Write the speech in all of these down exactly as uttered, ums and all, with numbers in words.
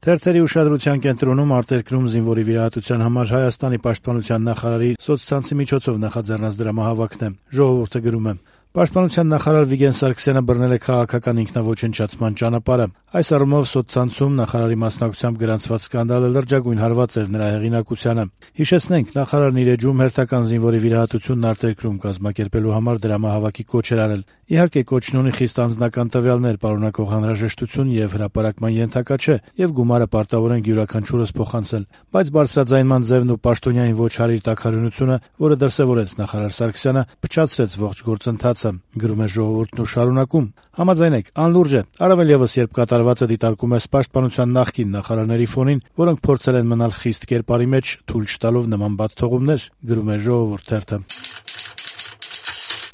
Թերթերի ուշադրության կենտրոնում արտերկրում զինվորի վիրահատության համար Հայաստանի պաշտպանության նախարարի սոցցանցի միջոցով նախաձեռնած դրամահավաքն է։ Ժողովուրդը գրում է. Պաշտպանության նախարար Վիգեն Սարգսյանը բռնել է քաղաքական ինքնաոչնչացման ճանապարհը։ Այս առումով սոցցանցում նախարարի մասնակցությամբ գրանցված սկանդալը լրջագույն հարված էր նրա հեղինակությանը։ Հիշեցնենք, նախարարն իր էջում հերթական զինվորի վիրահատությունն արտերկրում կազմակերպելու համար դրամահավաքի կոչ էր արել։ Իհարկե, կոչն ունի խիստ անձնական տվյալներ պարունակող անհրաժեշտություն եւ հրապարակման ենթակա չէ, եւ գումարը պարտավոր յուրաքանչյուրս փոխանցել, բայց բարձրաձայնման ձևն ու պաշտոնյային ոչ հարիր տաքարյունությունը, որը դրսևորեց նախարար Սարգսյանը, փչացրեց ողջ գործընթացը, գրում է Ժողովուրդն ու շարունակում. Համաձայնեք, անլուրջ է, առավել եւս երբ կատարվածը դիտարկում է պաշտպանության նախկին նախարարների ֆոնին, որոնք փորձել են մնալ խիստ կերպարի մեջ, թույլ չտալով նման բացթողումներ, գրում է Ժողովուրդ թերթը։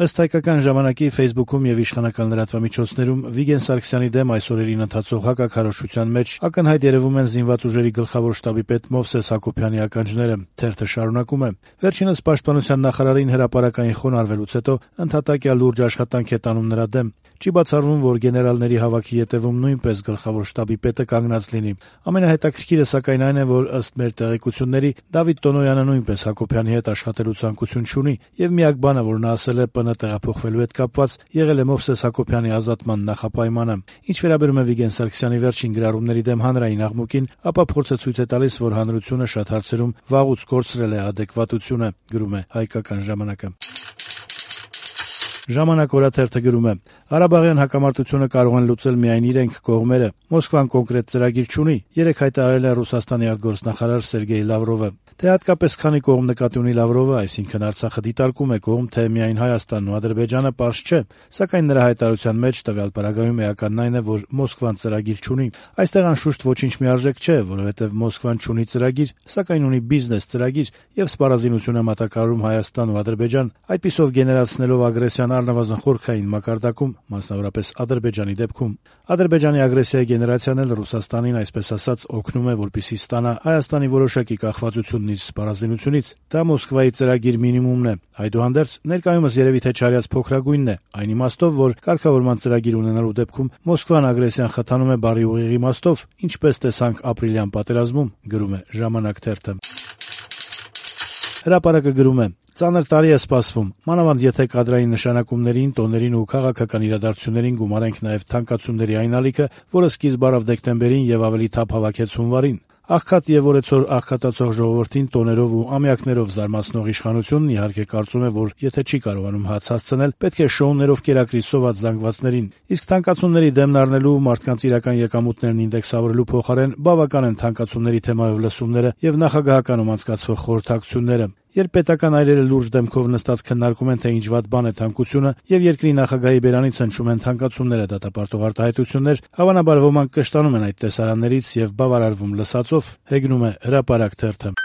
Ըստ հայկական ժամանակի Facebook-ում եւ իշխանական լրատվամիջոցներում Վիգեն Սարգսյանի դեմ այս օրերին ընթացող հակաքարոզչության մեջ ակնհայտ երևում են զինված ուժերի գլխավոր շտաբի պետ Մովսես Հակոբյանի ականջները։ Թերթը շարունակում է. Վերջինս պաշտպանության նախարարին հրապարակային խոնարհվելուց հետո ընդհատակյա լուրջ աշխատանք է տանում նրա դեմ։ Չի բացառվում, որ գեներալների հավաքի ետևում նույնպես գլխավոր շտաբի պետը կանգնած լինի։ Ամենահետաքրքիրը սակայն այն է, որ ըստ մեր տեղեկությունների Դավիթ Տոնոյանը նույնպես Հակոբյանի հետ աշխատելու ցանկություն չունի, եւ միակ բանը, որ նա ասել է ՊՆ տեղափոխվելու հետ կապված, եղել է Մովսես Հակոբյանի ազատման նախապայմանը։ Ինչ վերաբերում է Վիգեն Սարգսյանի վերջին գրառումների դեմ հանրային աղմուկին, ապա փորձը ցույց է տալիս, որ հանրությունը շատ հարցերում վաղուց կորցրել է ադեկվատությունը, գրում է Հայկական ժամանակը։ Ժամանակ օրաթերթը գրում է. Ղարաբաղյան հակամարտությունը կարող են լուծել միայն իրենք կողմերը։ Մոսկվան կոնկրետ ծրագիր չունի, երեք հայտարարել է Ռուսաստանի արտգործնախարար Սերգեյ Լավրովը։ Թե հատկապես քանի կողմ նկատի ունի Լավրովը, այսինքն Արցախը դիտարկում է կողմ, թե միայն Հայաստանն ու Ադրբեջանը, պարզ չէ, սակայն նրա հայտարարության մեջ տվյալ պարագայում էականն այն է, որ Մոսկվան ծրագիր չունի։ Այստեղ անշուշտ ոչինչ միարժեք չէ, որովհետև Մոսկվան չունի ծրագիր, սակայն ունի բիզնես ծրագիր եւ սպառազինություն է մատակարարում Հայաստան ու Ադրբեջան, այդպիսով գեներացնելով ագրեսիան առնվազն խորքային մակարդակում, մասնավորապես Ադրբեջանի դեպքում։ Ադրբեջանի ագրեսիայի գեներացիան էլ Ռուսաստանին, այսպես ասած, օգնում է, որպեսզի ստանա Հայաստանի որոշակի կախվածությունն իր սպառազինությունից։ Դա Մոսկվայի ծրագիր մինիմումն է։ Այդուհանդերձ, ներկայումս երևի թե չարյաց փոքրագույնն է, այն իմաստով, որ կարգավորման ծրագիր ունենալու դեպքում Մոսկվան ագրեսիան խթանում է բառի ուղիղ իմաստով, ինչպես տեսանք ապրիլյան պատերազմում, գրում է Ժամանակ թերթը։ Հրապարակը գրում է. Ծանր տարի է սպասվում, մանավանդ եթե կադրային նշանակումներին, տոներին ու քաղաքական իրադարձություններին գումարենք նաև թանկացումների այն ալիքը, որը սկիզբ առավ դեկտեմբերին եւ ավելի թափ հավաքեց հունվարին։ Աղքատ եւ օրեցօր աղքատացող ժողովրդին տոներով ու ամյակներով զարմացնող իշխանությունն իհարկե կարծում է, որ եթե չի կարողանում հաց հասցնել, պետք է շոուներով կերակրի սոված զանգվածներին։ Իսկ թանկացումների դեմն առնելու, մարդկանց իրական եկամուտներն ինդեքսավորելու փոխարեն բավական են թանկացումների թեմայով լսումները եւ նախագահականում անցկացվող խորհրդակցությունները։ Երբ պետական այրերը լուրջ դեմքով նստած քննարկում են, թե ինչ վատ բան է թանկությունը, եւ երկրի նախագահի բերանից հնչում են թանկացումները դատապարտող արտահայտություններ, հավանաբար ոմանք կշտանում են այդ տեսարաններից եւ բավարարվում լսածով, հեգնում է Հրապարակ թերթը։